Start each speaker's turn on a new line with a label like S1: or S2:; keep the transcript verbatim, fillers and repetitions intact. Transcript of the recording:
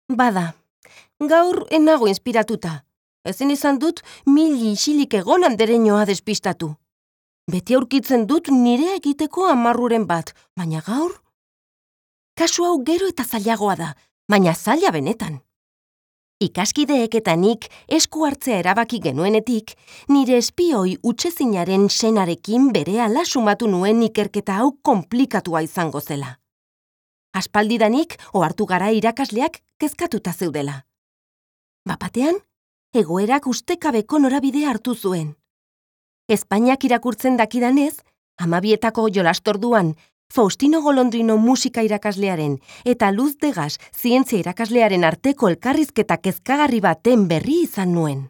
S1: Bada, gaur enago inspiratuta. Ezin izan dut mili isilik egon andereñoa despistatu. Beti aurkitzen dut nire egiteko amarruren bat, baina gaur? Kasu hau gero eta zailagoa da, baina zaila benetan. Ikaskideek eta nik esku hartzea erabaki genuenetik, nire espioi utsezinaren senarekin berehala sumatu nuen ikerketa hau konplikatua izango zela. Aspaldidanik ohartu gara irakasleak kezkatuta zeudela. Bapatean, egoerak ustekabeko norabidea hartu zuen. Espainiak irakurtzen dakidanez, hamabietako jolastorduan, Faustino Golondrino musika irakaslearen eta Luz de Gas zientzia irakaslearen arteko elkarrizketa kezkagarri baten berri izan nuen.